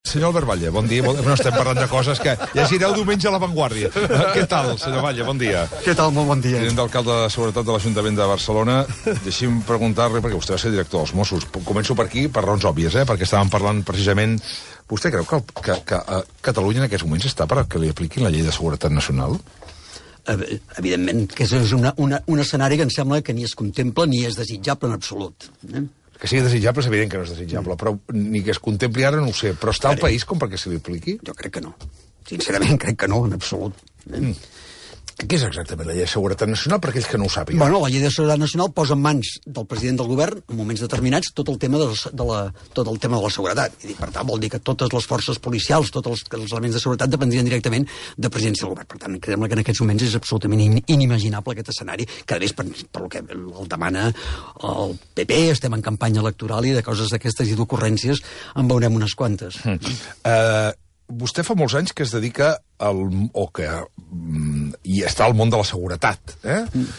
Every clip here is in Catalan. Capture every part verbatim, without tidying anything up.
Senyor Albert Batlle, bon dia. Bon... No estem parlant de coses que llegireu diumenge a La Vanguardia. Què tal, senyor Batlle? Bon dia. Què tal? Molt bon dia. Tinent d'alcalde de Seguretat de l'Ajuntament de Barcelona. Deixi'm preguntar-li, perquè vostè va ser director dels Mossos. Començo per aquí, per raons òbvies, eh? Perquè estàvem parlant precisament... Vostè creu que, que, que a Catalunya en aquests moments està per que li apliquin la llei de seguretat nacional? Evidentment, que és una, una, un escenari que em sembla que ni es contempla ni és desitjable en absolut. Eh? Que sigui desitjable és evident que no és desitjable, però ni que es contempli ara no ho sé. Però està al país com perquè se li apliqui? Jo crec que no. Sincerament, crec que no, en absolut. Mm. Què és exactament la llei de seguretat nacional per aquells que no ho sàpiguen? Bueno, la llei de seguretat nacional posa en mans del president del govern, en moments determinats, tot el tema de, de, la, tot el tema de la seguretat. I per tant, vol dir que totes les forces policials, tots els, els elements de seguretat dependrien directament de presidència del govern. Per tant, creiem que en aquests moments és absolutament in, inimaginable aquest escenari, que a més, per, per el que el demana el P P, estem en campanya electoral i de coses d'aquestes i d'ocurrències en veurem unes quantes. Mm. Uh... Vostè fa molts anys que es dedica al, o que mm, i està al món de la seguretat, eh? Mm.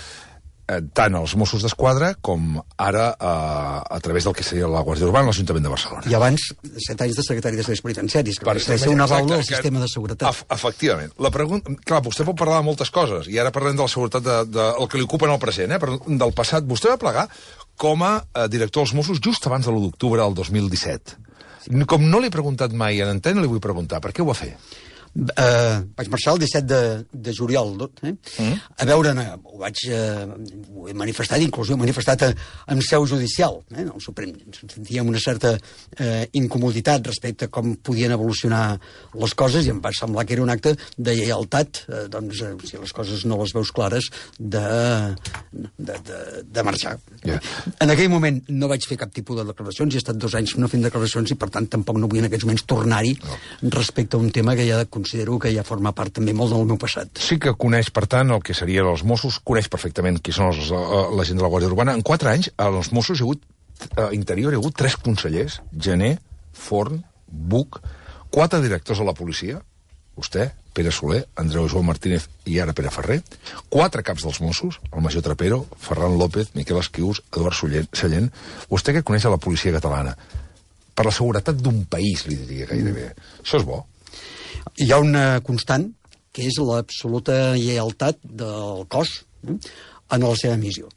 Eh, tant als Mossos d'Esquadra com ara eh, a través del que seria la Guàrdia Urbana a l'Ajuntament de Barcelona. I abans, set anys de secretari de serveis penitenciaris, que va ser una baula del sistema de seguretat. Ef efectivament. La pregunta... Clar, vostè pot parlar de moltes coses, i ara parlem de la seguretat de, de, el que li ocupa en el present, eh? Però del passat. Vostè va plegar com a eh, director dels Mossos just abans de l'u d'octubre del dos mil disset. Com no l'he preguntat mai en antena, li vull preguntar, per què ho va fer? Uh, vaig marxar el disset de, de juliol, eh? Mm. A veure, no, ho vaig uh, ho he manifestat, inclús ho he manifestat a, en seu judicial, eh? El Suprem. Sentíem una certa uh, incomoditat respecte a com podien evolucionar les coses i em va semblar que era un acte de lleialtat, uh, doncs, uh, si les coses no les veus clares, de, de, de, de marxar. Yeah. En aquell moment no vaig fer cap tipus de declaracions, he estat dos anys no fent declaracions i per tant tampoc no vull en aquests moments tornar-hi no. respecte a un tema que ja considero que ja forma part també molt del meu passat. Sí que coneix, per tant, el que serien els Mossos, coneix perfectament qui són els, la gent de la Guàrdia Urbana. En quatre anys, als Mossos hi ha hagut, a Interior hi ha hagut tres consellers, Gené, Forn, Buch, quatre directors de la policia, vostè, Pere Soler, Andreu Joan Martínez i ara Pere Ferrer, quatre caps dels Mossos, el major Trapero, Ferran López, Miquel Esquius, Eduard Sallent. Vostè que coneix a la policia catalana, per la seguretat d'un país, li diria gairebé. Això és bo? Hi ha una constant, que és l'absoluta lleialtat del cos eh, en la seva missió.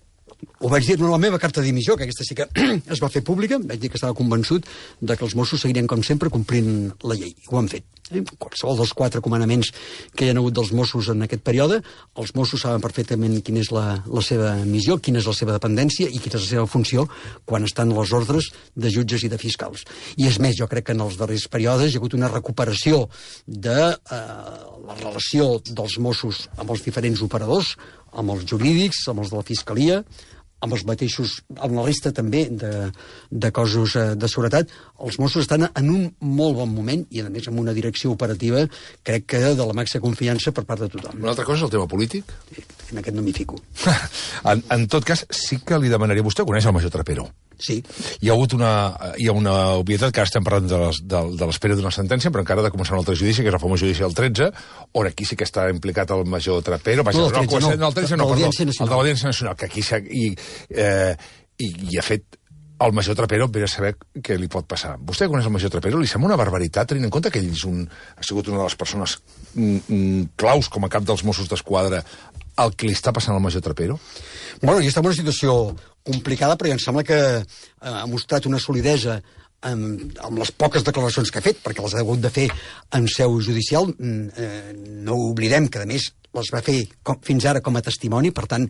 Ho vaig dir en la meva carta de dimissió, que aquesta sí que es va fer pública, vaig dir que estava convençut de que els Mossos seguirien, com sempre, complint la llei. Ho han fet. Eh? Qualsevol dels quatre comandaments que hi ha hagut dels Mossos en aquest període, els Mossos saben perfectament quina és la, la seva missió, quina és la seva dependència i quina és la seva funció quan estan les ordres de jutges i de fiscals. I és més, jo crec que en els darrers períodes hi ha hagut una recuperació de eh, la relació dels Mossos amb els diferents operadors, amb els jurídics, amb els de la Fiscalia, amb els mateixos, amb la resta també de, de cossos de seguretat. Els Mossos estan en un molt bon moment i, a més, amb una direcció operativa, crec que de la màxima confiança per part de tothom. Una altra cosa és el tema polític? En aquest no m'hi fico. en, en tot cas, sí que li demanaria... Vostè coneix el major Trapero? Sí. Hi ha hagut una, hi ha una obvietat, que ara estem parlant de, les, de, de l'espera d'una sentència, però encara ha de començar un altre judici, que és el famós judici del tretze, on aquí sí que està implicat el major Trapero. No, el tretze no, no, el tretze no, perdó, el de l'Audiència Nacional, que aquí s'ha... I, eh, i, i ha fet el major Trapero per saber què li pot passar. Vostè coneix el major Trapero? Li sembla una barbaritat, tenint en compte que ell és un, ha sigut una de les persones mm, mm, claus com a cap dels Mossos d'Esquadra el que li està passant al major Trapero? Bueno, i està en una situació complicada, però em sembla que eh, ha mostrat una solidesa amb, amb les poques declaracions que ha fet, perquè les ha hagut de fer en seu judicial. Eh, no oblidem que, a més, les va fer com, fins ara com a testimoni, per tant,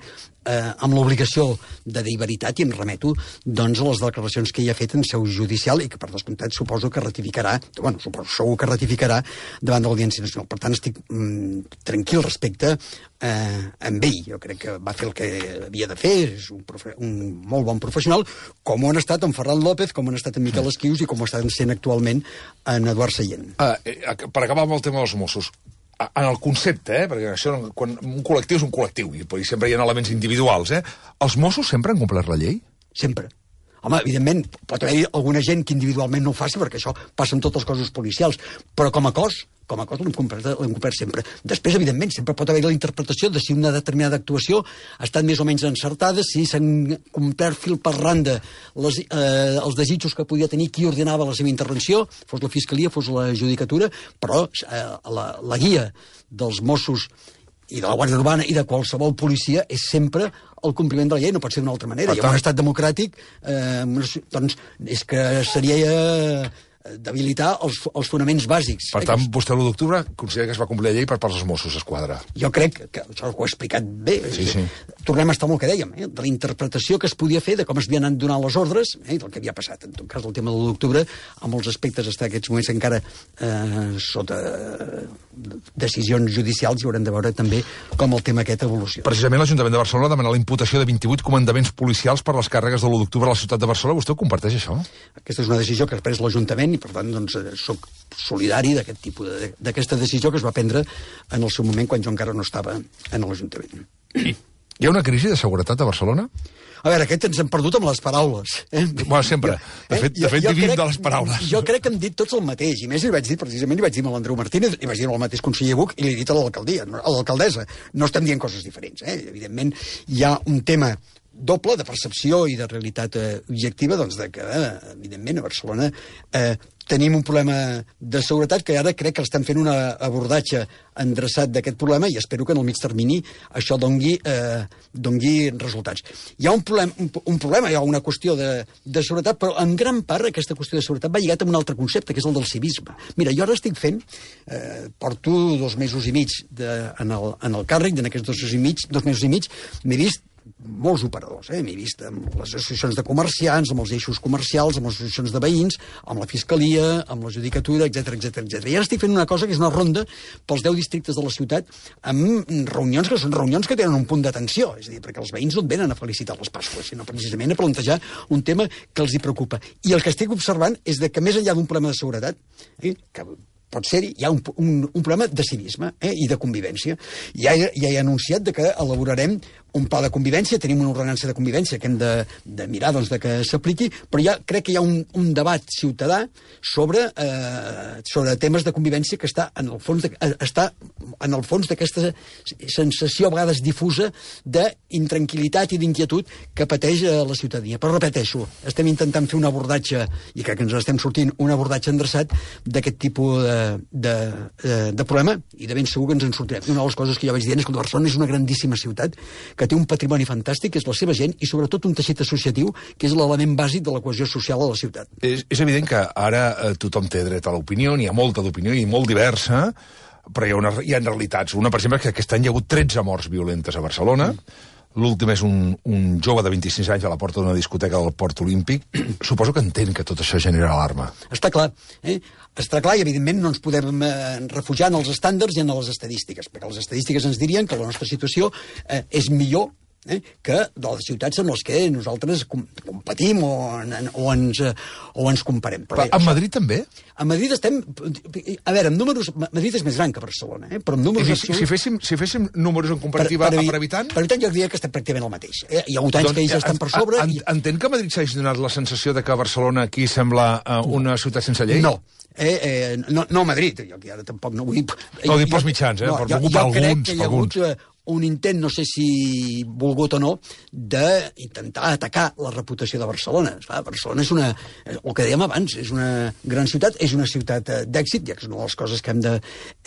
eh, amb l'obligació de dir veritat, i em remeto doncs, a les declaracions que ell ha fet en seu judicial i que, per descomptat, suposo que ratificarà, bueno, suposo segur que ratificarà davant de l'Audiència Nacional. Per tant, estic mm, tranquil respecte eh, amb ell. Jo crec que va fer el que havia de fer, és un, profe un molt bon professional, com ho han estat en Ferran López, com ho han estat en Miquel Esquius i com ho estan sent actualment en Eduard Sallent. Ah, eh, per acabar amb el tema dels Mossos, en el concepte, eh, perquè això, quan un col·lectiu és un col·lectiu, i sempre hi ha elements individuals, eh? Els Mossos sempre han complert la llei? Sempre. Home, evidentment, pot haver alguna gent que individualment no ho faci, perquè això passa amb tots els cossos policials, però com a cos, com a cos l'hem complert, l'hem complert sempre. Després, evidentment, sempre pot haver la interpretació de si una determinada actuació ha estat més o menys encertada, si s'han complert fil per randa les, eh, els desitjos que podia tenir qui ordenava la seva intervenció, fos la Fiscalia, fos la Judicatura, però eh, la, la guia dels Mossos i de la Guàrdia Urbana i de qualsevol policia és sempre el compliment de la llei, no pot ser d'una altra manera. I en un estat democràtic, eh, doncs, és que seria eh, debilitar els, els fonaments bàsics. Per tant, vostè l'u d'octubre considera que es va complir la llei per part dels Mossos d'Esquadra. Jo crec que això ho he explicat bé. Sí, sí. Tornem a estar amb el que dèiem, eh? De la interpretació que es podia fer de com es havien anat donant les ordres, eh? Del que havia passat. En tot cas, el tema de l'u d'octubre, amb els aspectes hasta aquests moments encara eh, sota decisions judicials, i haurem de veure també com el tema aquest evoluciona. Precisament l'Ajuntament de Barcelona demana la imputació de vint-i-vuit comandaments policials per les càrregues de l'u d'octubre a la ciutat de Barcelona. Vostè ho comparteix, això? Aquesta és una decisió que ha pres l'Ajuntament i, per tant, doncs, soc solidari d'aquest tipus de, d'aquesta decisió que es va prendre en el seu moment quan jo encara no estava en l'Ajuntament. Hi ha una crisi de seguretat a Barcelona? A veure, aquest ens hem perdut amb les paraules. Eh? Bueno, sempre. De fet, de fet vivim de les paraules. Jo crec que hem dit tots el mateix, i més li vaig dir, precisament li vaig dir a l'Andreu Martínez, li vaig dir al mateix conseller Buch, i li he dit a l'alcaldia, a l'alcaldessa. No estem dient coses diferents, eh? Evidentment, hi ha un tema doble de percepció i de realitat eh, objectiva, doncs de que, eh, evidentment, a Barcelona eh, tenim un problema de seguretat que ara crec que estan fent un abordatge endreçat d'aquest problema i espero que en el mig termini això dongui, eh, dongui resultats. Hi ha un problema, un, un problema, hi ha una qüestió de, de seguretat, però en gran part aquesta qüestió de seguretat va lligat amb un altre concepte, que és el del civisme. Mira, jo ara estic fent, eh, porto dos mesos i mig de, en, el, en el càrrec, en aquests dos mesos i mig, dos mesos i mig m'he vist molts operadors, eh? M'he vist amb les associacions de comerciants, amb els eixos comercials, amb les associacions de veïns, amb la Fiscalia, amb la Judicatura, etcètera, etcètera, etcètera. I ara estic fent una cosa que és una ronda pels deu districtes de la ciutat amb reunions que són reunions que tenen un punt d'atenció, és a dir, perquè els veïns no et venen a felicitar les Pasques, sinó precisament a plantejar un tema que els hi preocupa. I el que estic observant és de que més enllà d'un problema de seguretat, eh, que pot ser-hi, hi ha un, un, un problema de civisme eh, i de convivència. Ja, ja he anunciat de que elaborarem un pla de convivència, tenim una ordenança de convivència que hem de, de mirar doncs, de que s'apliqui, però ja crec que hi ha un, un debat ciutadà sobre, eh, sobre temes de convivència que està en el fons de, està en el fons d'aquesta sensació a vegades difusa d'intranquil·litat i d'inquietud que pateix la ciutadania. Però repeteixo, estem intentant fer un abordatge, i crec que ens estem sortint, un abordatge endreçat d'aquest tipus de, de, de, de problema, i de ben segur que ens en sortirem. I una de les coses que jo vaig dient és que Barcelona és una grandíssima ciutat que té un patrimoni fantàstic, que és la seva gent, i sobretot un teixit associatiu, que és l'element bàsic de la cohesió social a la ciutat. És, és evident que ara eh, tothom té dret a l'opinió, n'hi ha molta d'opinió i molt diversa, però hi ha, una, hi ha realitats. Una, per exemple, que aquest any hi ha hagut tretze morts violentes a Barcelona. Mm. L'últim és un, un jove de vint-i-sis anys a la porta d'una discoteca del Port Olímpic. Suposo que entén que tot això genera alarma. Està clar, eh? Està clar, i evidentment no ens podem eh, refugiar en els estàndards i en les estadístiques, perquè les estadístiques ens dirien que la nostra situació eh, és millor eh, que de les ciutats en les que nosaltres com, competim o, en, o, ens, eh, o ens comparem. Però, Però a Madrid també? A Madrid estem... A veure, amb números... Madrid és més gran que Barcelona, eh? Però amb números... Si, si, féssim, si féssim números en comparativa per, per, per habitant... Per habitant jo diria que estem pràcticament el mateix. Eh? Hi ha hagut anys doncs, que ells estan per sobre... En, i... Entén que a Madrid s'hagi donat la sensació de que Barcelona aquí sembla uh, una ciutat sense llei? No. Eh, eh, no, no a Madrid, jo que ara tampoc no vull... No, dic pels mitjans, eh? No, per jo, jo alguns, crec que hi ha alguns. hagut eh, un intent, no sé si volgut o no, d'intentar atacar la reputació de Barcelona. Esclar, Barcelona és una, el que dèiem abans, és una gran ciutat, és una ciutat d'èxit, ja que és una de les coses que hem de,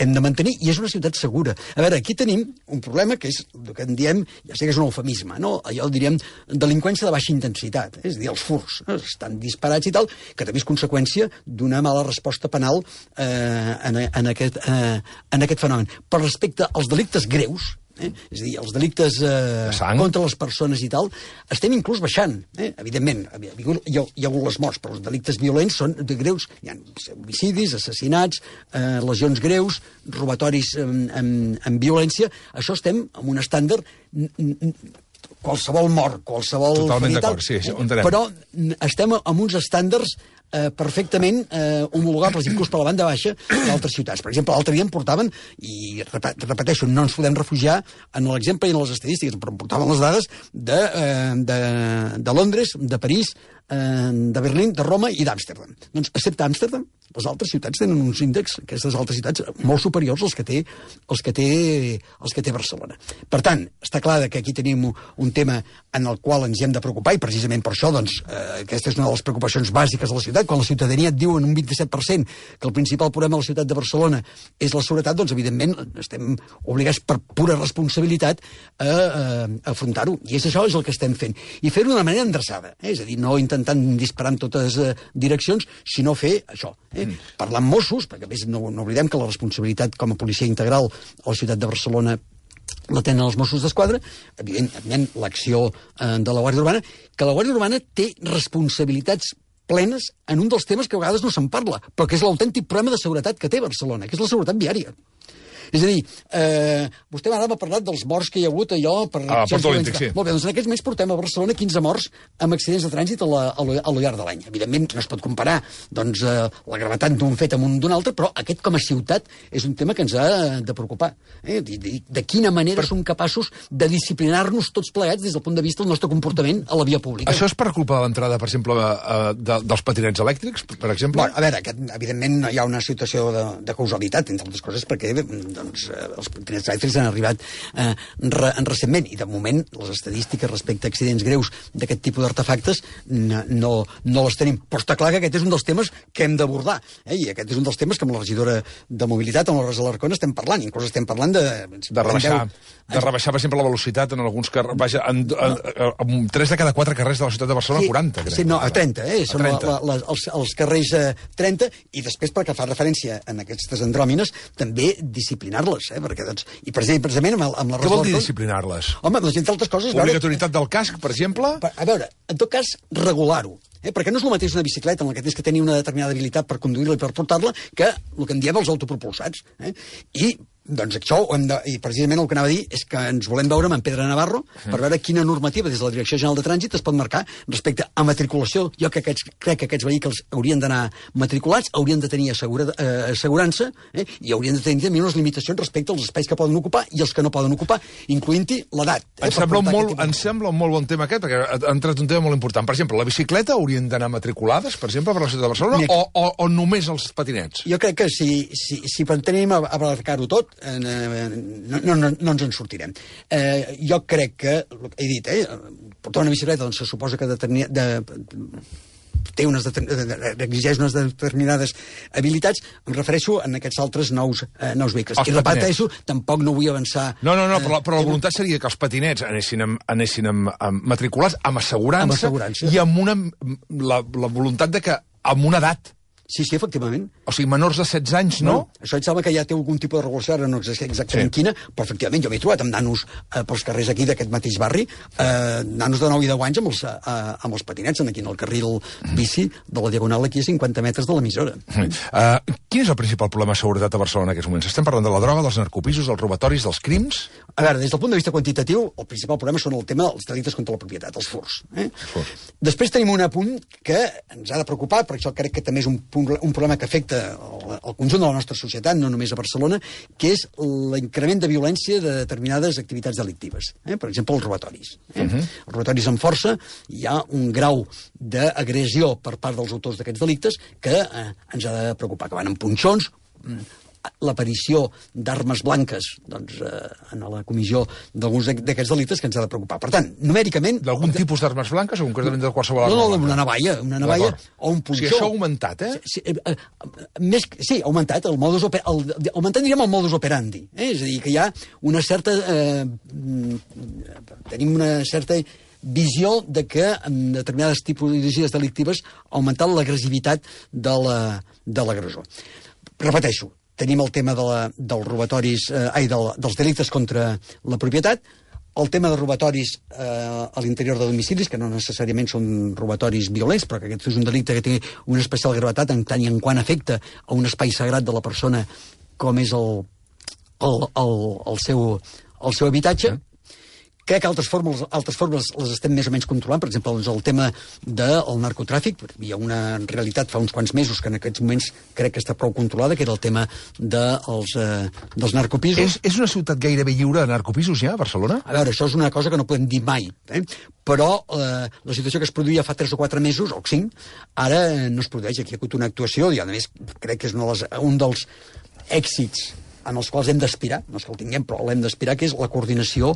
hem de mantenir, i és una ciutat segura. A veure, aquí tenim un problema que és el que en diem, ja sé que és un eufemisme, no? Allò el diríem delinqüència de baixa intensitat, eh? És a dir, els furs eh? estan disparats i tal, que també és conseqüència d'una mala resposta penal eh, en, en, aquest, eh, en aquest fenomen. Per respecte als delictes greus, Eh? és a dir, els delictes eh, contra les persones i tal, estem inclús baixant, eh? Evidentment hi ha, hi ha hagut les morts, però els delictes violents són de greus, hi ha homicidis, assassinats, eh, lesions greus, robatoris amb, amb, amb violència. Això estem en un estàndard, qualsevol mort, qualsevol totalment d'acord, sí, sí, però estem en uns estàndards Eh, perfectament eh, homologables, inclús per la banda baixa, d'altres ciutats. Per exemple, l'altre dia em portaven, i repeteixo, no ens podem refugiar en l'exemple i en les estadístiques, però em portaven les dades de, eh, de, de Londres, de París, eh, de Berlín, de Roma i d'Amsterdam. Doncs, excepte Amsterdam, les altres ciutats tenen uns índexs, aquestes altres ciutats, molt superiors als que té, als que té, als que té Barcelona. Per tant, està clar que aquí tenim un tema en el qual ens hi hem de preocupar, i precisament per això, doncs, eh, aquesta és una de les preocupacions bàsiques de la ciutat. Quan la ciutadania et diu en un vint-i-set per cent que el principal problema de la ciutat de Barcelona és la seguretat, doncs, evidentment, estem obligats per pura responsabilitat a, a afrontar-ho. I és això és el que estem fent. I fer-ho d'una manera endreçada, eh? És a dir, no intentant disparar en totes eh, direccions, sinó fer això. Eh? Mm. Parlar amb Mossos, perquè a més no, no oblidem que la responsabilitat com a policia integral a la ciutat de Barcelona la tenen els Mossos d'Esquadra, evidentment l'acció eh, de la Guàrdia Urbana, que la Guàrdia Urbana té responsabilitats plenes en un dels temes que a vegades no se'n parla, però que és l'autèntic problema de seguretat que té Barcelona, que és la seguretat viària. És a dir, eh, vostè ara m'ha parlat dels morts que hi ha hagut allò... Per ah, Port Olímpic, sí. Molt bé, doncs en aquests moments portem a Barcelona quinze morts amb accidents de trànsit a, la, a, lo, a lo llarg de l'any. Evidentment no es pot comparar doncs, eh, la gravetat d'un fet amb un d'un altre, però aquest com a ciutat és un tema que ens ha de preocupar. Eh? De, de, de quina manera per... som capaços de disciplinar-nos tots plegats des del punt de vista del nostre comportament a la via pública. Això és per culpa de l'entrada, per exemple, eh, de, dels patinets elèctrics, per exemple? Bueno, a veure, aquest, evidentment hi ha una situació de, de causalitat, entre altres coses, perquè doncs, els patinets elèctrics han arribat eh, re, recentment, i de moment les estadístiques respecte a accidents greus d'aquest tipus d'artefactes no, no, no les tenim. Però està clar que aquest és un dels temes que hem d'abordar, eh? I aquest és un dels temes que amb la regidora de mobilitat, amb la Rosa Alarcón, estem parlant, inclús estem parlant de... De rebaixar, de rebaixar, per exemple, la velocitat en alguns carrers, vaja, en, en, en, en tres de cada quatre carrers de la ciutat de Barcelona, sí, quaranta, crec. Sí, no, a trenta, eh? Són trenta. La, la, els, els carrers eh, trenta, i després, perquè fa referència en aquestes andròmines, també disciplinar-les, eh? Perquè, doncs, i precisament amb, amb la Què vol dir disciplinar-les? Home, doncs, entre altres coses... Obligatorietat del casc, per exemple? A veure, en tot cas, regular-ho. Eh? Perquè no és el mateix una bicicleta en la que tens que tenir una determinada habilitat per conduir-la i per portar-la que el que en diem els autopropulsats. Eh? I doncs això, ho hem de, i precisament el que anava a dir és que ens volem veure amb en Pedro Navarro per veure quina normativa des de la Direcció General de Trànsit es pot marcar respecte a matriculació. Jo que aquests, crec que aquests vehicles haurien d'anar matriculats, haurien de tenir assegura, eh, assegurança eh, i haurien de tenir també unes limitacions respecte als espais que poden ocupar i els que no poden ocupar, incloent-hi l'edat. Eh, em sembla, molt, em sembla un molt bon tema aquest, perquè ha entrat un tema molt important. Per exemple, la bicicleta haurien d'anar matriculades, per exemple, per la ciutat de Barcelona, Mira, o, o, o només els patinets? Jo crec que si, si, si pretenem abarcar-ho tot, eh, No, no, no, no ens en sortirem. Eh, jo crec que, he dit, eh, portar una bicicleta doncs se suposa que determina, de, té unes exigeix unes determinades habilitats, em refereixo en aquests altres nous, eh, nous vehicles. Els I repeteixo, tampoc no vull avançar... No, no, no, però, però la voluntat seria que els patinets anessin, amb, anessin amb, amb matriculats, amb assegurança, amb assegurança, i amb una, la, la voluntat de que amb una edat. Sí, sí, efectivament. O sigui, menors de setze anys, no? no? Això em sembla que ja té algun tipus de regulació, ara no sé exactament sí. quina, però efectivament jo m'he trobat amb nanos eh, pels carrers aquí d'aquest mateix barri, eh, nanos de nou i deu anys amb els, eh, amb els patinets, aquí en el carril bici de la Diagonal, aquí a cinquanta metres de l'emissora. Mm. Uh, quin és el principal problema de seguretat a Barcelona en aquests moments? Estem parlant de la droga, dels narcopisos, dels robatoris, dels crims? A veure, des del punt de vista quantitatiu, el principal problema són el tema dels delictes contra la propietat, els furs. Eh? Furs. Després tenim un apunt que ens ha de preocupar, perquè això crec que també és un, punt, un problema que afecta el, el conjunt de la nostra societat, no només a Barcelona, que és l'increment de violència de determinades activitats delictives. Eh? Per exemple, els robatoris. Eh? Uh -huh. Els robatoris amb força, hi ha un grau d'agressió per part dels autors d'aquests delictes que eh, ens ha de preocupar, que van amb punxons, l'aparició d'armes blanques doncs, eh, en la comissió d'alguns d'aquests delictes que ens ha de preocupar. Per tant, numèricament... D'algun de... tipus d'armes blanques o concretament de qualsevol arma no, no, blanca? una navalla, una navalla o un punxó. O sigui, això ha augmentat, eh? Sí, eh, eh, més, sí ha augmentat, el modus oper, el, augmentat diríem el modus operandi, eh? És a dir, que hi ha una certa... Eh, tenim una certa visió de que en determinades tipologies delictives ha augmentat l'agressivitat de l'agressor. La, Repeteixo, tenim el tema de la, dels robatoris, eh, ai, del, dels delictes contra la propietat, el tema de robatoris eh, a l'interior de domicilis, que no necessàriament són robatoris violents, però que aquest és un delicte que té una especial gravetat en tant i en quant afecta a un espai sagrat de la persona com és el, el, el, el, seu, el seu habitatge, Crec que altres formes, altres formes les estem més o menys controlant. Per exemple, doncs el tema del narcotràfic. Hi ha una realitat fa uns quants mesos que en aquests moments crec que està prou controlada, que era el tema dels, eh, dels narcopisos. És, és una ciutat gairebé lliure de narcopisos ja, Barcelona? A veure, això és una cosa que no podem dir mai, eh? Però eh, la situació que es produïa fa tres o quatre mesos, o cinc, ara eh, no es produeix. Aquí hi ha hagut una actuació, i a més crec que és una de les, un dels èxits en els quals hem d'aspirar, no és que el tinguem, però l'hem d'aspirar, que és la coordinació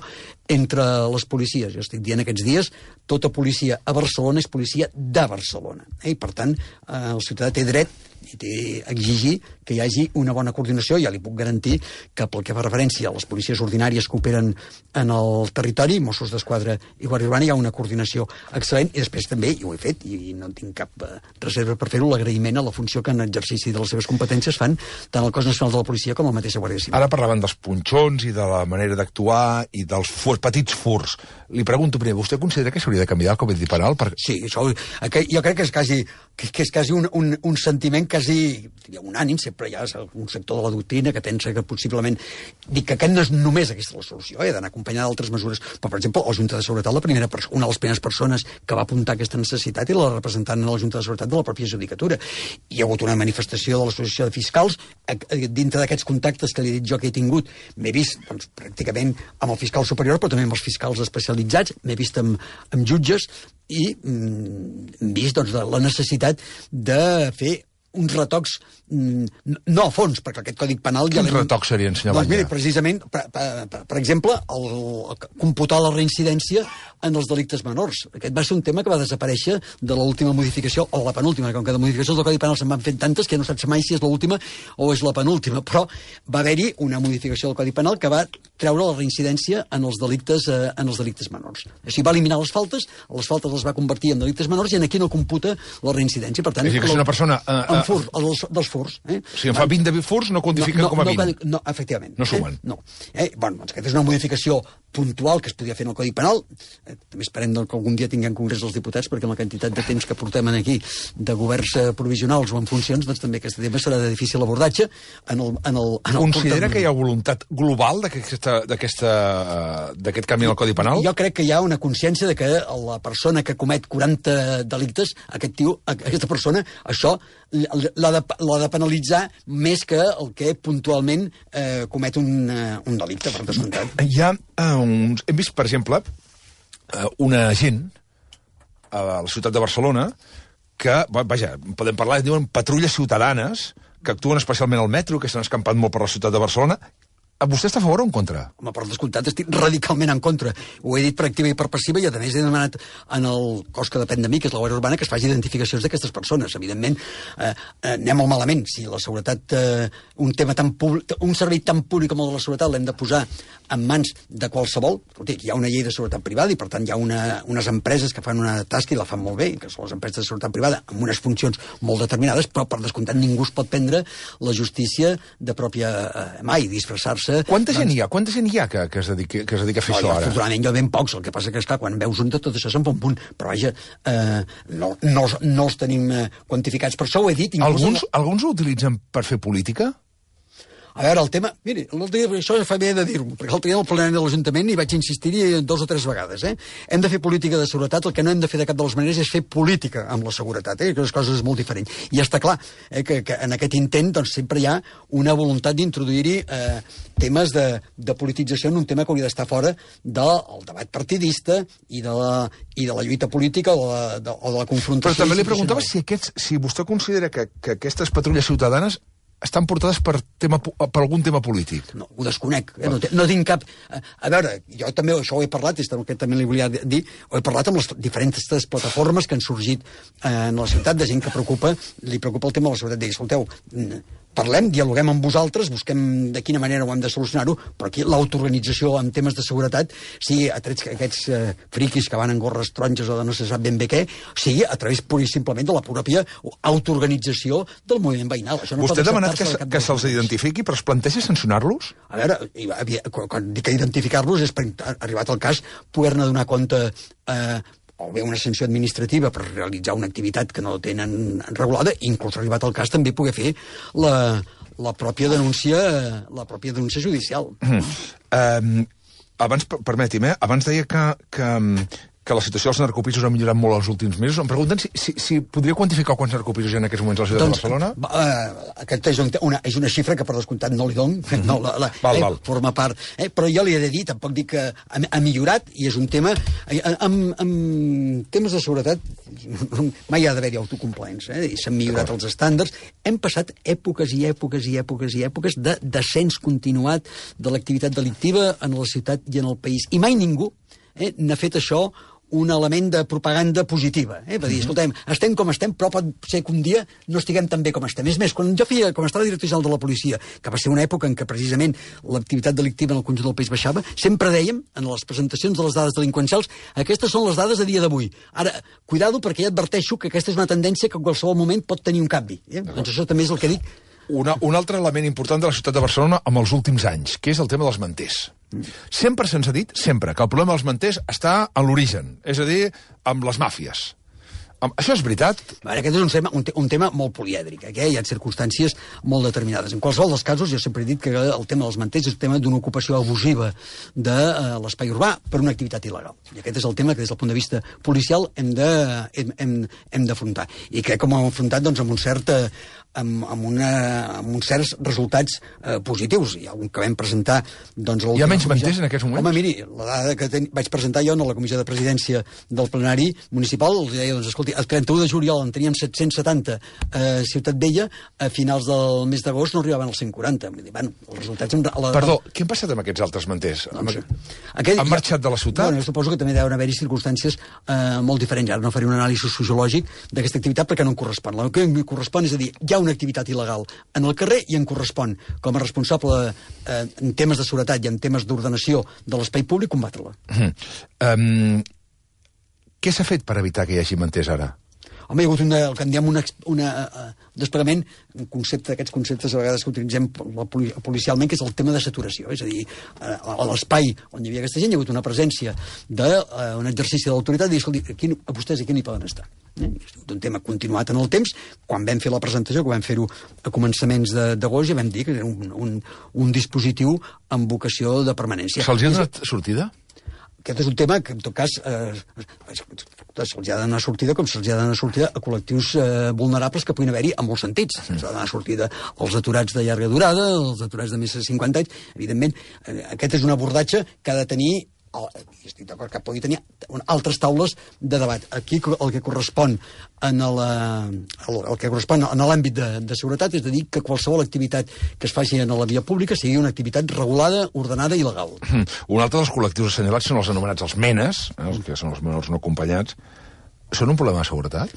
entre les policies. Jo estic dient aquests dies, tota policia a Barcelona és policia de Barcelona. Eh? I, per tant, eh, el ciutadà té dret i té a exigir que hi hagi una bona coordinació. Ja li puc garantir que pel que fa referència a les policies ordinàries que operen en el territori, Mossos d'Esquadra i Guàrdia Urbana, hi ha una coordinació excel·lent, i després també, i ho he fet, i no tinc cap eh, reserva per fer-ho, l'agraïment a la funció que en exercici de les seves competències fan tant el Cos Nacional de la Policia com la mateixa Guàrdia Civil. Ara parlaven dels punxons i de la manera d'actuar i dels furs, petits furs. Li pregunto primer, vostè considera que s'hauria de canviar el Codi Penal? Per... Sí, això, jo crec que és quasi, que, que és quasi un, un, un sentiment quasi unànim. Sempre hi ha un sector de la doctrina que pensa que possiblement... Dic que aquest no és només aquesta la solució, eh, d'anar acompanyada d'altres mesures. Però, per exemple, la Junta de Seguretat, la primera una de les primeres persones que va apuntar aquesta necessitat, i la representant a la Junta de Seguretat de la pròpia judicatura. Hi ha hagut una manifestació de l'Associació de Fiscals. Dintre d'aquests contactes que li he dit jo que he tingut, m'he vist doncs, pràcticament amb el fiscal superior, però també amb els fiscals especialitzats, m'he vist amb, amb jutges, i mm, hem vist doncs, la necessitat de fer uns retocs, no a fons, perquè aquest Codi Penal... Quins retocs serien, senyor Batlle? Doncs mira, precisament, per, per, per exemple, el, el, computar la reincidència en els delictes menors. Aquest va ser un tema que va desaparèixer de l'última modificació, o la penúltima, com que de modificacions del Codi Penal se'n van fent tantes que no saps mai si és l'última o és la penúltima, però va haver-hi una modificació del Codi Penal que va treure la reincidència en els delictes, eh, en els delictes menors. Així va eliminar les faltes, les faltes les va convertir en delictes menors, i aquí no computa la reincidència. Per tant, és a dir, que si una persona... Uh, uh, en fur, els, dels furs. Eh? Si en fa vint de furs, no quantifiquen no, no, com a vint. No, no, efectivament. No sumen. Eh? No. Eh? Bueno, doncs aquesta és una modificació puntual que es podia fer en el Codi Penal. Eh, també esperem doncs, que algun dia tinguem Congrés dels Diputats, perquè amb la quantitat de temps que portem aquí de governs eh, provisionals o en funcions, doncs també aquest tema serà de difícil abordatge. En el, en el, en el Considera portem... que hi ha voluntat global d'aquest canvi en el Codi Penal? Jo crec que hi ha una consciència de que la persona que comet quaranta delictes, aquest tio, aquesta persona, això l'ha de, l'ha de penalitzar més que el que puntualment eh, comet un, uh, un delicte, per descomptat. Hi ha uh, uns... Hem vist, per exemple, uh, una agent a la ciutat de Barcelona que, vaja, podem parlar, diuen patrulles ciutadanes que actuen especialment al metro, que s'han escampat molt per la ciutat de Barcelona. Vostè està a favor o en contra? Home, per descomptat, estic radicalment en contra. Ho he dit per activa i per passiva, i a més he demanat en el cos que depèn de mi, que és la Guàrdia Urbana, que es faci identificacions d'aquestes persones. Evidentment, eh, anem molt malament. Si la seguretat, eh, un tema tan públic, un servei tan públic com el de la seguretat l'hem de posar en mans de qualsevol. Escolti, hi ha una llei de seguretat privada i, per tant, hi ha una, unes empreses que fan una tasca i la fan molt bé, que són les empreses de seguretat privada, amb unes funcions molt determinades, però, per descomptat, ningú es pot prendre la justícia de pròpia eh, mà i disfressar-se. Quanta gent hi ha? Quanta gent hi ha que, que, es, dedica, que es dedica a fer no, això ara? Afortunadament jo ben pocs, el que passa que, esclar, quan veus un de tot això se'n fa un punt, però vaja, eh, no, no, no els tenim eh, quantificats. Per això ho he dit. Alguns, no... alguns ho utilitzen per fer política? A veure, el tema... Miri, dia, això fa bé de dir-ho, perquè l'altre dia al plenari de l'Ajuntament hi vaig insistir-hi dos o tres vegades. Eh? Hem de fer política de seguretat, el que no hem de fer de cap de les maneres és fer política amb la seguretat, eh? que les coses és molt diferent. I està clar eh, que, que en aquest intent doncs, sempre hi ha una voluntat d'introduir-hi eh, temes de, de politització en un tema que hauria d'estar fora del debat partidista i de la, i de la lluita política o de la, de, o de la confrontació. Però també li preguntava si, aquests, si vostè considera que, que aquestes patrulles ciutadanes estan portades per, tema, per algun tema polític. No, ho desconec. Eh? No, no tinc cap... A veure, jo també això ho he parlat, i que també li volia dir, ho he parlat amb les diferents plataformes que han sorgit eh, en la ciutat, de gent que preocupa, li preocupa el tema de la seguretat. Digui, escolteu, parlem, dialoguem amb vosaltres, busquem de quina manera ho hem de solucionar-ho, però aquí l'autoorganització en temes de seguretat, sigui a través d'aquests eh, friquis que van en gorres taronges o de no se sap ben bé què, sigui a través pur i simplement de la pròpia autoorganització del moviment veïnal. Això no Vostè ha demanat que, que se'ls identifiqui, però es planteja sancionar-los? A veure, quan dic identificar-los és per, arribat el cas, poder-ne donar compte eh, o bé una sanció administrativa per realitzar una activitat que no tenen regulada, inclús arribat al cas també poder fer la, la pròpia denúncia la pròpia denúncia judicial. Mm. Um, abans, permeti'm, eh? Abans deia que, que, que la situació dels narcopisos ha millorat molt els últims mesos. Em pregunten si, si, si podria quantificar quants narcopisos hi ha en aquests moments a la ciutat doncs, de Barcelona? Uh, aquesta és una, és una xifra que, per descomptat, no li dono. Mm-hmm. No, la, la, val, eh, val. Forma part. Eh, però jo li he de dir, tampoc dic que ha, ha millorat, i és un tema... Eh, amb, amb temes de seguretat mai ha d'haver-hi autocomplaents. Eh? S'han millorat els estàndards. Hem passat èpoques i èpoques i èpoques i èpoques de descens continuat de l'activitat delictiva en la ciutat i en el país. I mai ningú eh, n'ha fet això un element de propaganda positiva. Eh? Va dir, escoltem, estem com estem, però pot ser que un dia no estiguem tan bé com estem. És més, quan jo feia, com estava director general de la policia, que va ser una època en què precisament l'activitat delictiva en el conjunt del país baixava, sempre dèiem, en les presentacions de les dades delinqüencials, aquestes són les dades a dia d'avui. Ara, cuidado, perquè ja adverteixo que aquesta és una tendència que en qualsevol moment pot tenir un canvi. Eh? Doncs això també és el que dic. Una, un altre element important de la ciutat de Barcelona amb els últims anys, que és el tema dels manters. Sempre se'ns ha dit, sempre, que el problema dels manters està en l'origen, és a dir, amb les màfies. Això és veritat? Veure, aquest és un tema, un, te un tema molt polièdric, eh? Hi ha circumstàncies molt determinades. En qualsevol dels casos, jo sempre he dit que el tema dels manters és un tema d'una ocupació abusiva de uh, l'espai urbà per una activitat il·legal. I aquest és el tema que des del punt de vista policial hem d'afrontar. I crec que ho hem afrontat doncs, amb un cert... Amb, amb, una, amb uns certs resultats eh, positius. Hi ha un que vam presentar... Doncs, Hi ha menys manters en aquests moments? Home, miri, la dada que ten... vaig presentar jo en la comissió de presidència del plenari municipal, els deia, doncs, escolti, el trenta-u de juliol en teníem set-cents setanta a Ciutat Vella, a finals del mes d'agost no arribaven als cent quaranta. Vull dir, bueno, els resultats... La... Perdó, què han passat amb aquests altres manters? Doncs, Aquell... Han marxat de la ciutat? Bueno, jo suposo que també deuen haver-hi circumstàncies eh, molt diferents. Ara no faré un anàlisi sociològic d'aquesta activitat perquè no em correspon. El que em correspon és a dir, hi ha una activitat il·legal en el carrer i em correspon, com a responsable eh, en temes de seguretat i en temes d'ordenació de l'espai públic, combatre-la. Mm. Um, què s'ha fet per evitar que hi hagi manters ara? Home, hi ha hagut una, el que en diem un uh, desplegament, un concepte d'aquests conceptes a vegades que utilitzem policialment, que és el tema de saturació. És a dir, uh, a l'espai on hi havia aquesta gent hi ha hagut una presència d'un uh, exercici d'autoritat i dir, escolti, aquí, a vostès aquí no hi poden estar. Eh? És un tema continuat en el temps. Quan vam fer la presentació, que vam fer-ho a començaments d'agost, ja vam dir que era un, un, un dispositiu amb vocació de permanència. Se'ls ha donat sortida? Aquest és un tema que, en tot cas, eh, se'ls ha de donar sortida com se'ls ha de donar sortida a col·lectius eh, vulnerables que puguin haver-hi en molts sentits. Se'ls ha de donar sortida als aturats de llarga durada, als aturats de més de cinquanta anys. Evidentment, eh, aquest és un abordatge que ha de tenir, i estic d'acord que pugui tenir altres taules de debat. Aquí el que correspon en la, el, el que correspon en l'àmbit de, de seguretat és de dir que qualsevol activitat que es faci en la via pública sigui una activitat regulada, ordenada i legal. Mm. Un altre dels col·lectius assenyalats són els anomenats els menes, eh, els que són els menors no acompanyats. Són un problema de seguretat?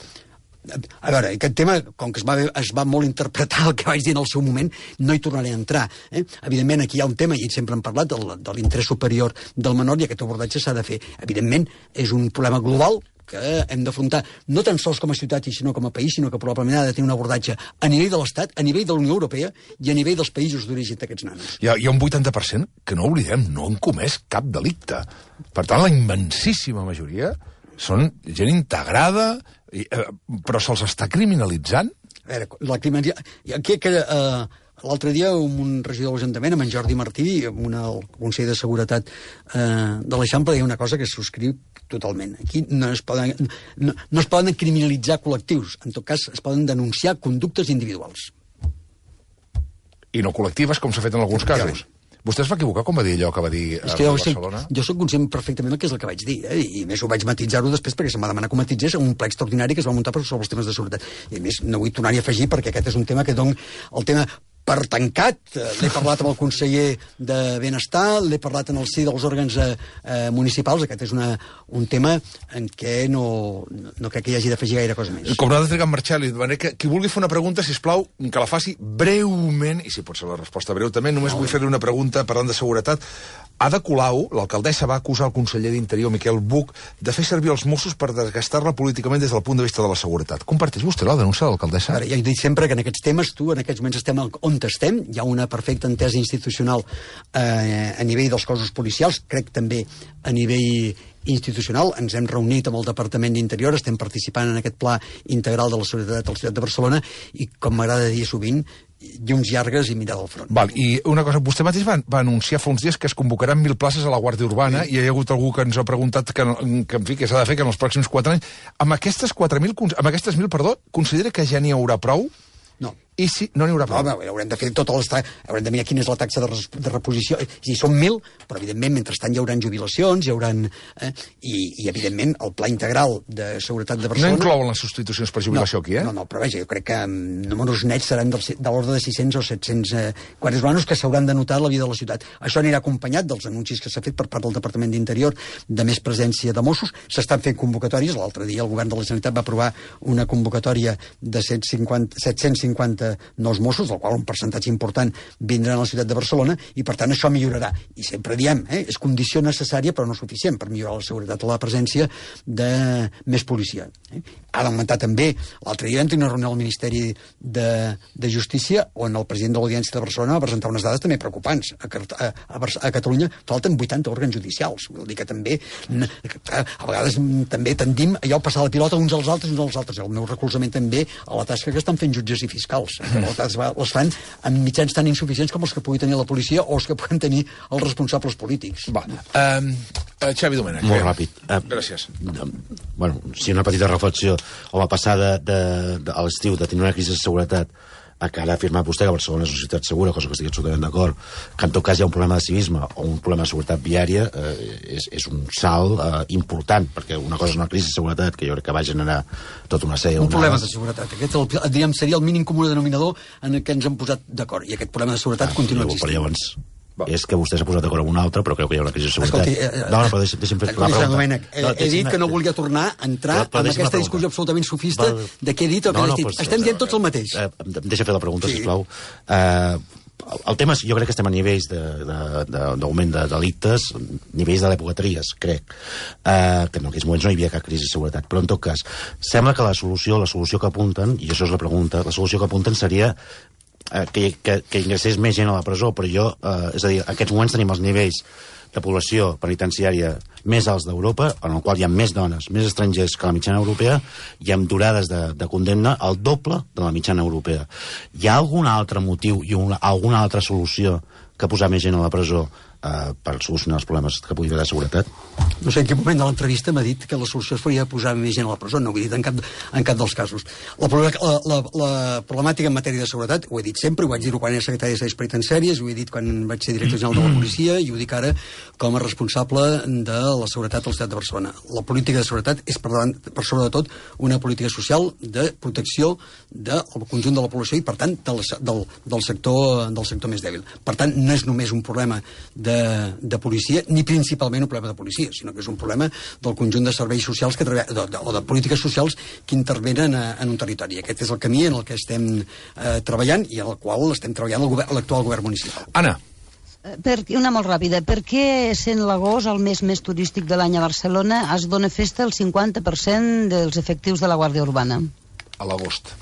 A veure, aquest tema, com que es va, es va molt interpretar el que vaig dir en el seu moment, no hi tornaré a entrar. Eh? Evidentment, aquí hi ha un tema, i sempre hem parlat, del, de l'interès superior del menor, i aquest abordatge s'ha de fer. Evidentment, és un problema global que hem d'afrontar, no tan sols com a ciutat, sinó com a país, sinó que probablement ha de tenir un abordatge a nivell de l'Estat, a nivell de la Unió Europea i a nivell dels països d'origen d'aquests nanos. Hi ha, hi ha un vuitanta per cent que no oblidem, no han comès cap delicte. Per tant, la immensíssima majoria són gent integrada, i, eh, però se'ls està criminalitzant? A veure, la criminalització... Aquí que... Eh, L'altre dia, un regidor de l'Ajuntament, amb en Jordi Martí, amb una, el Consell de Seguretat eh, de l'Eixample, deia una cosa que es subscriu totalment. Aquí no es, poden, no, no es poden criminalitzar col·lectius. En tot cas, es poden denunciar conductes individuals. I no col·lectives, com s'ha fet en alguns casos. Vostè es va equivocar com va dir allò que va dir a Barcelona? Jo soc conscient perfectament del que és el que vaig dir, eh? I més ho vaig matitzar-ho després perquè se'm va demanar que ho matitzés en un ple extraordinari que es va muntar sobre els temes de seguretat. I a més no vull tornar-hi a afegir perquè aquest és un tema que don el tema per tancat. L'he parlat amb el conseller de Benestar, l'he parlat en el si dels òrgans eh, municipals. Aquest és una, un tema en què no, no crec que hi hagi d'afegir gaire cosa més. Com no ha de trigar en marxar, li demanem que qui vulgui fer una pregunta, sisplau, que la faci breument, i si pot ser la resposta breu també, només vull fer-li una pregunta parlant de seguretat. Ada Colau, l'alcaldessa, va acusar el conseller d'Interior, Miquel Buch, de fer servir els Mossos per desgastar-la políticament des del punt de vista de la seguretat. Comparteix vostè la denúncia de l'alcaldessa? Ja he dit sempre que en aquests temes, tu, en aquests moments estem on estem, hi ha una perfecta entesa institucional eh, a nivell dels cossos policials, crec també a nivell institucional. Ens hem reunit amb el Departament d'Interior, estem participant en aquest pla integral de la seguretat a la ciutat de Barcelona i, com m'agrada dir sovint, llums llargues i mirar del front. Val, i una cosa, vostè mateix va, va anunciar fa uns dies que es convocaran mil places a la Guàrdia Urbana, sí. I hi ha hagut algú que ens ha preguntat que, que en fi, que s'ha de fer que en els pròxims quatre anys... Amb aquestes quatre mil, amb aquestes mil, perdó, considera que ja n'hi haurà prou? No. I si no n'hi haurà prou? No, haurem de fer totes les... Haurem de mirar quina és la taxa de, res... de reposició. És a dir, són mil, però evidentment, mentrestant hi haurà jubilacions, hi haurà... Eh? I, I, evidentment, el pla integral de seguretat de Barcelona... No inclouen les substitucions per jubilació no, aquí, eh? No, no, però vaja, jo crec que um, números nets seran del, de l'ordre de sis-cents o set-cents eh, guàrdies urbanos que s'hauran de notar a la vida de la ciutat. Això anirà acompanyat dels anuncis que s'ha fet per part del Departament d'Interior de més presència de Mossos. S'estan fent convocatòries. L'altre dia el govern de la Generalitat va aprovar una convocatòria de set-cents cinquanta nous Mossos, del qual un percentatge important vindrà a la ciutat de Barcelona, i per tant això millorarà. I sempre diem, eh, és condició necessària però no suficient per millorar la seguretat o la presència de més policia. Eh? Ha d'augmentar també, l'altre dia vam tenir una reunió al Ministeri de, de Justícia on el president de l'Audiència de Barcelona va presentar unes dades també preocupants. A, a, a, a Catalunya falten vuitanta òrgans judicials. Vol dir que també, a, a vegades també tendim allò a passar la pilota uns als altres, uns als altres. El meu recolzament també a la tasca que estan fent jutges i fiscals. Les fan amb mitjans tan insuficients com els que pugui tenir la policia o els que puguin tenir els responsables polítics. Va, um, uh, Xavi Domènech. Molt ràpid. Uh, Gràcies. Uh, bueno, sí, una petita reflexió. Home, passar de, de, de, a l'estiu de tenir una crisi de seguretat a que ara ha afirmat vostè que Barcelona és una ciutat segura, cosa que estic absolutament d'acord, que en tot cas hi ha un problema de civisme o un problema de seguretat viària, eh, és, és un salt eh, important, perquè una cosa és una crisi de seguretat que jo crec que va generar tota una sèrie... Un una... problema de seguretat. Aquest el, diríem, seria el mínim comú denominador en què ens hem posat d'acord, i aquest problema de seguretat ah, continua existint. Però llavors... Va. És que vostè s'ha posat d'acord amb un altre, però creu que hi ha una crisi de seguretat. Escolti, eh, no, no, però deixi'm, deixi'm fer la pregunta. Domènec, he, he dit que no volia tornar a entrar però, però en aquesta discussió absolutament sofista va, de què he dit o què no, no, he dit. Pues, estem dient tots el mateix. Eh, deixa fer la pregunta, sí. Sisplau. Eh, el tema és, jo crec que estem a nivells d'augment de, de, de delictes, nivells de l'època Trias, crec, eh, que en aquells moments no hi havia cap crisi de seguretat, però en tot cas, sembla que la solució, la solució que apunten, i això és la pregunta, la solució que apunten seria eh, que, que, que ingressés més gent a la presó, però jo, eh, és a dir, en aquests moments tenim els nivells de població penitenciària més alts d'Europa, en el qual hi ha més dones, més estrangers que la mitjana europea, i amb durades de, de condemna el doble de la mitjana europea. Hi ha algun altre motiu i una, alguna altra solució que posar més gent a la presó eh, per solucionar els problemes que pugui haver de seguretat? No sé en quin moment de l'entrevista m'ha dit que la solució es faria posar més gent a la presó, no ho he dit en cap, en cap dels casos. La, la, la, la problemàtica en matèria de seguretat, ho he dit sempre, ho vaig dir-ho quan era secretari de Serveis Penitenciaris, ho he dit quan vaig ser director general de la policia i ho dic ara com a responsable de la seguretat a la ciutat de Barcelona. La política de seguretat és, per, davant, per sobre de tot, una política social de protecció del conjunt de la població i, per tant, del, del, del, sector, del sector més dèbil. Per tant, no és només un problema de, de policia, ni principalment un problema de policia, sinó que és un problema del conjunt de serveis socials que de, de, o de polítiques socials que intervenen a, en un territori. Aquest és el camí en el que estem eh, treballant i en el qual estem treballant l'actual govern municipal. Anna. Per, una molt ràpida. Per què, sent l'agost el mes més turístic de l'any a Barcelona, es dona festa el cinquanta per cent dels efectius de la Guàrdia Urbana? A l'agost.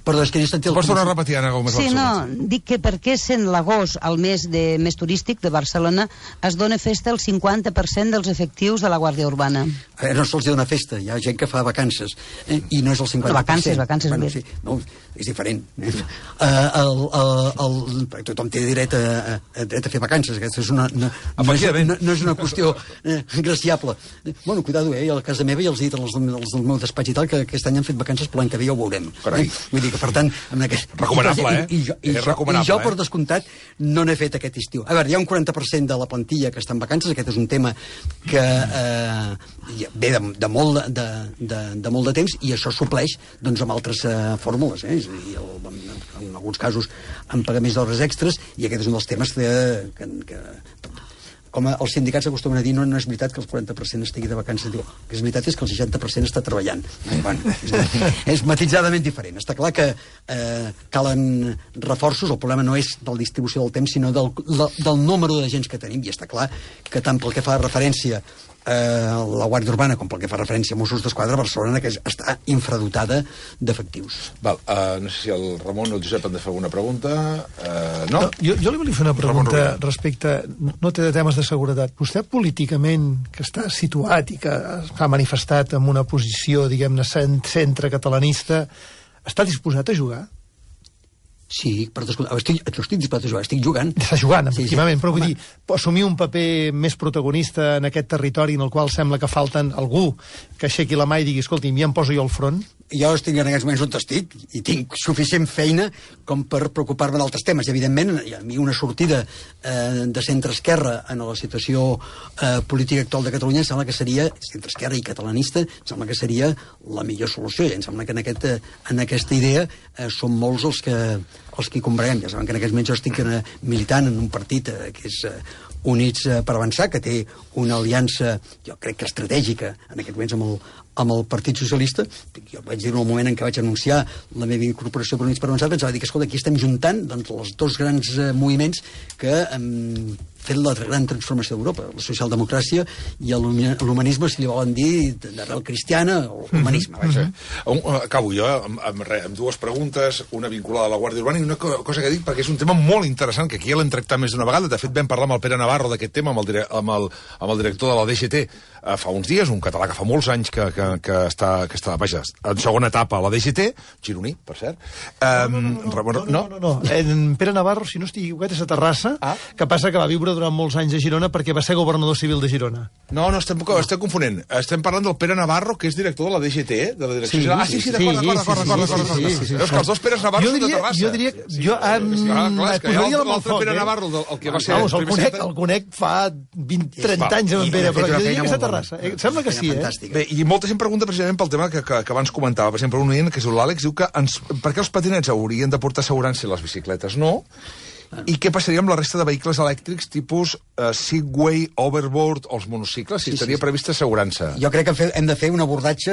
Perdó, és que he sentit... Pots tornar a repetir, Anna Gómez? Sí, no, dic que per què, sent l'agost el mes de, més turístic de Barcelona, es dona festa el cinquanta per cent dels efectius de la Guàrdia Urbana? Eh, no se'ls dona festa, hi ha gent que fa vacances, eh, i no és el cinquanta per cent. Vacances, vacances, bueno, sí, no, és diferent. Eh? Uh, el, el, el, tothom té dret a, a, dret a fer vacances, aquesta és una, no, no, és, no, no és una qüestió eh, graciable. Bueno, cuidado, eh, a casa meva ja els he dit als, als del meu despatx i tal que aquest any han fet vacances, però l'any que ve ja ho veurem. Eh? Vull dir que, per tant, amb aquest... recomanable, eh? I, i, jo, i, és jo, recomanable, i jo, per eh? descomptat, no n'he fet aquest estiu. A veure, hi ha un quaranta per cent de la plantilla que està en vacances, aquest és un tema que eh, ve de, de, molt de, de, de molt de temps i això supleix doncs, amb altres eh, fórmules, eh? És a dir, el, en, en alguns casos amb pagaments d'hores extres, i aquest és un dels temes que, que, que com els sindicats acostumen a dir, no, no és veritat que el quaranta per cent estigui de vacances. Diu, el que és veritat és que el seixanta per cent està treballant. Eh, bueno, és, és matitzadament diferent. Està clar que eh, calen reforços. El problema no és de la distribució del temps, sinó del, del número de gent que tenim. I està clar que tant pel que fa referència Eh, la Guàrdia Urbana com pel que fa referència a Mossos d'Esquadra, Barcelona que està infradotada d'efectius. Val, uh, no sé si el Ramon o el Josep han de fer alguna pregunta. Uh, no? no jo, jo li volia fer una pregunta respecte, no té de temes de seguretat. Vostè políticament, que està situat i que s'ha manifestat en una posició, diguem-ne, centre catalanista, està disposat a jugar? Sí, per descomptat. Estic, estic disposat a jugar, estic jugant. Està jugant, efectivament, sí, sí. Però vull Home. dir, assumir un paper més protagonista en aquest territori en el qual sembla que falten algú que aixequi la mà i digui, escolti'm, ja em poso jo al front. Jo estic en aquests moments on estic i tinc suficient feina com per preocupar-me d'altres temes. Evidentment, a mi una sortida eh, de centre-esquerra en la situació eh, política actual de Catalunya em sembla que seria, centre-esquerra i catalanista, em sembla que seria la millor solució. I em sembla que en, aquest, en aquesta idea eh, són molts els que, els que hi combreguem. Ja saben que en aquests moments jo estic eh, militant en un partit eh, que és eh, Units eh, per Avançar, que té una aliança, jo crec que estratègica, en aquests moments amb el, amb el Partit Socialista. Jo vaig dir en el moment en què vaig anunciar la meva incorporació per Units per Avançar, pensava dir que, escolta, aquí estem juntant doncs, els dos grans eh, moviments que han eh, fet la gran transformació d'Europa, la socialdemocràcia i l'humanisme, si li volen dir, d'arrel cristiana, o l'humanisme. Mm -hmm. Acabo jo amb, amb, amb dues preguntes, una vinculada a la Guàrdia Urbana i una cosa que dic perquè és un tema molt interessant, que aquí ja l'hem tractat més d'una vegada. De fet, vam parlar amb el Pere Navarro d'aquest tema, amb el, dire amb, el, amb el director de la D G T eh, fa uns dies, un català que fa molts anys que, que, que, està, que està, vaja, en segona etapa a la D G T, gironí, per cert. No, no, no, no, no, no, no, no. En Pere Navarro, si no estic equivocat, és a Terrassa, ah? que passa que va viure durant molts anys a Girona perquè va ser governador civil de Girona. No, no, estem, estem confonent. Estem parlant del Pere Navarro, que és director de la D G T, de la direcció sí, general. Ah, sí, sí, d'acord, d'acord, d'acord, d'acord. Veus que els dos Peres Navarro són de Terrassa. Jo diria... Jo posaria l'altre Pere Navarro, el que va ser... Vamos, el conec, el conec fa vint trenta anys amb en Pere, però jo diria que és a Terrassa. Sembla que sí, eh? Bé, i molta gent pregunta precisament pel tema que, que, que abans comentava. Per exemple, un oient, que és l'Àlex, diu que ens, per què els patinets haurien de portar assegurança i les bicicletes no? I què passaria amb la resta de vehicles elèctrics tipus uh, Segway, Overboard o els monocicles, si sí, estaria sí, prevista assegurança? Jo crec que hem de fer un abordatge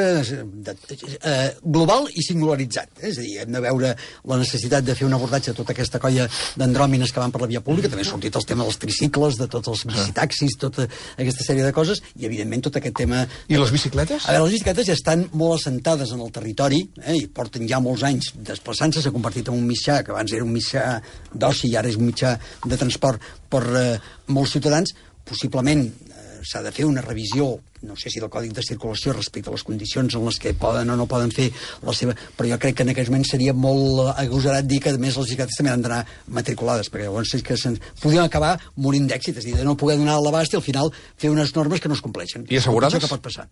de, eh, global i singularitzat. Eh? És a dir, hem de veure la necessitat de fer un abordatge de tota aquesta colla d'andròmines que van per la via pública. També ha sortit el tema dels tricicles, de tots els bicitaxis, tota aquesta sèrie de coses, i evidentment tot aquest tema... I les bicicletes? A veure, les bicicletes ja estan molt assentades en el territori, eh? i porten ja molts anys desplaçant-se, s'ha convertit en un mitjà, que abans era un mitjà d'oci i ara és un mitjà de transport per eh, molts ciutadans. Possiblement eh, s'ha de fer una revisió, no sé si del Còdic de Circulació respecte a les condicions en les que poden o no poden fer la seva... Però jo crec que en aquests moments seria molt agosarat dir que, a més, les bicicletes també han d'anar matriculades, perquè llavors és que podríem acabar morint d'èxit, és a dir, de no poder donar l'abast i al final fer unes normes que no es compleixen. I assegurades? Això que pot passar.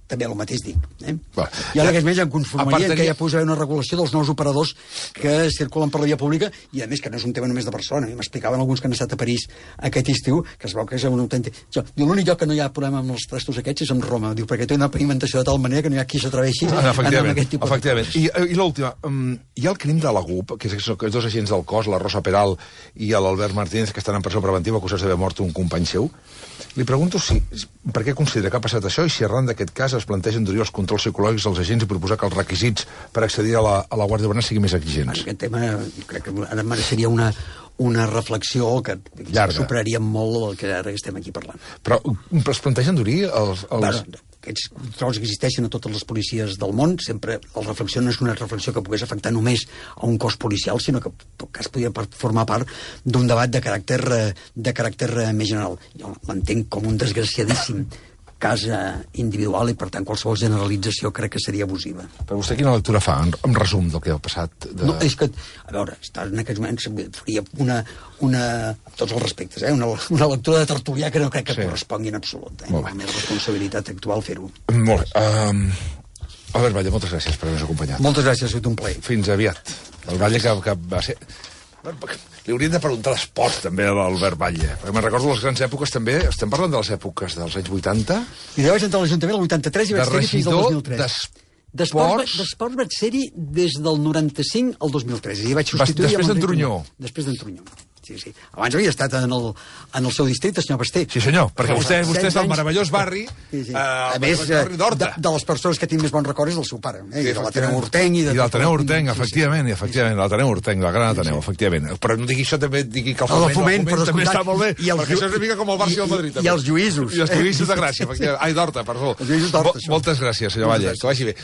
També el mateix dic. Eh? Va. Jo en aquests moments em conformaria Apartaria... que ja posaré una regulació dels nous operadors que circulen per la via pública, i a més que no és un tema només de Barcelona. M'explicaven alguns que han estat a París aquest estiu, que es veu que és un autèntic... L'únic lloc que no hi ha problema amb els trastos aquests és amb Roma, diu, perquè té una pavimentació de tal manera que no hi ha qui s'atreveixi ah, a anar amb aquest tipus efectivament. De coses. I, i l'última, um, hi ha el crim de la G U P, que és que dos agents del cos, la Rosa Peral i l'Albert Martínez, que estan en presó preventiva acusats d'haver mort un company seu. Li pregunto si, per què considera que ha passat això i si arran d'aquest cas es plantegen endurir els controls psicològics als agents i proposar que els requisits per accedir a la, a la Guàrdia Urbana siguin més exigents. Aquest tema crec que ara mereixeria una, una reflexió que superaria molt el que ara estem aquí parlant. Però es plantegen endurir els... els... Bueno, aquests controls que existeixen a totes les policies del món, sempre la reflexió no és una reflexió que pogués afectar només a un cos policial, sinó que en tot cas podria formar part d'un debat de caràcter, de caràcter més general. Jo l'entenc com un desgraciadíssim cas individual i, per tant, qualsevol generalització crec que seria abusiva. Però vostè quina lectura fa, en, en resum del que ha passat? De... No, és que, a veure, estar en aquests moments faria una, una amb tots els respectes, eh, una, una lectura de tertulià que no crec que sí. correspongui en absolut. Eh? La meva responsabilitat actual fer-ho. Molt bé. Um, Albert Batlle, moltes gràcies per haver-nos acompanyat. Moltes gràcies, ha sigut un plaer. Fins aviat. El Batlle que, que va ser... Li hauríem de preguntar l'esport, també, a l'Albert Batlle. Perquè me'n recordo les grans èpoques, també. Estem parlant de les èpoques dels anys vuitanta. I jo vaig entrar a l'Ajuntament el vuitanta-tres i vaig ser-hi fins al dos mil tres. D'esports... D'esports vaig ser-hi des del noranta-cinc al dos mil tres. I vaig substituir... Després d'en Trunyó. Després d'en Trunyó. Sí, sí. Abans havia estat en el, en el seu districte, senyor Basté. Sí, senyor, perquè vostè, vostè és del meravellós barri, sí, sí. Eh, a més, barri d'Horta. De, de les persones que tinc més bons records del seu pare. Eh? Sí, de l'Ateneu Hortenc. I, de I l'Ateneu Hortenc, efectivament, sí, sí. efectivament, l'Ateneu Hortenc, la gran Ateneu, sí, sí. efectivament. Però no digui això, també digui que el Foment, el Foment, el Foment també està molt bé, i el, perquè això és una mica com el Barça i el Madrid. També. I els lluïsos. I els lluïsos de Gràcia, efectivament. Ai, d'Horta, perdó. Els lluïsos d'Horta. Moltes gràcies, senyor Batlle, que vagi bé.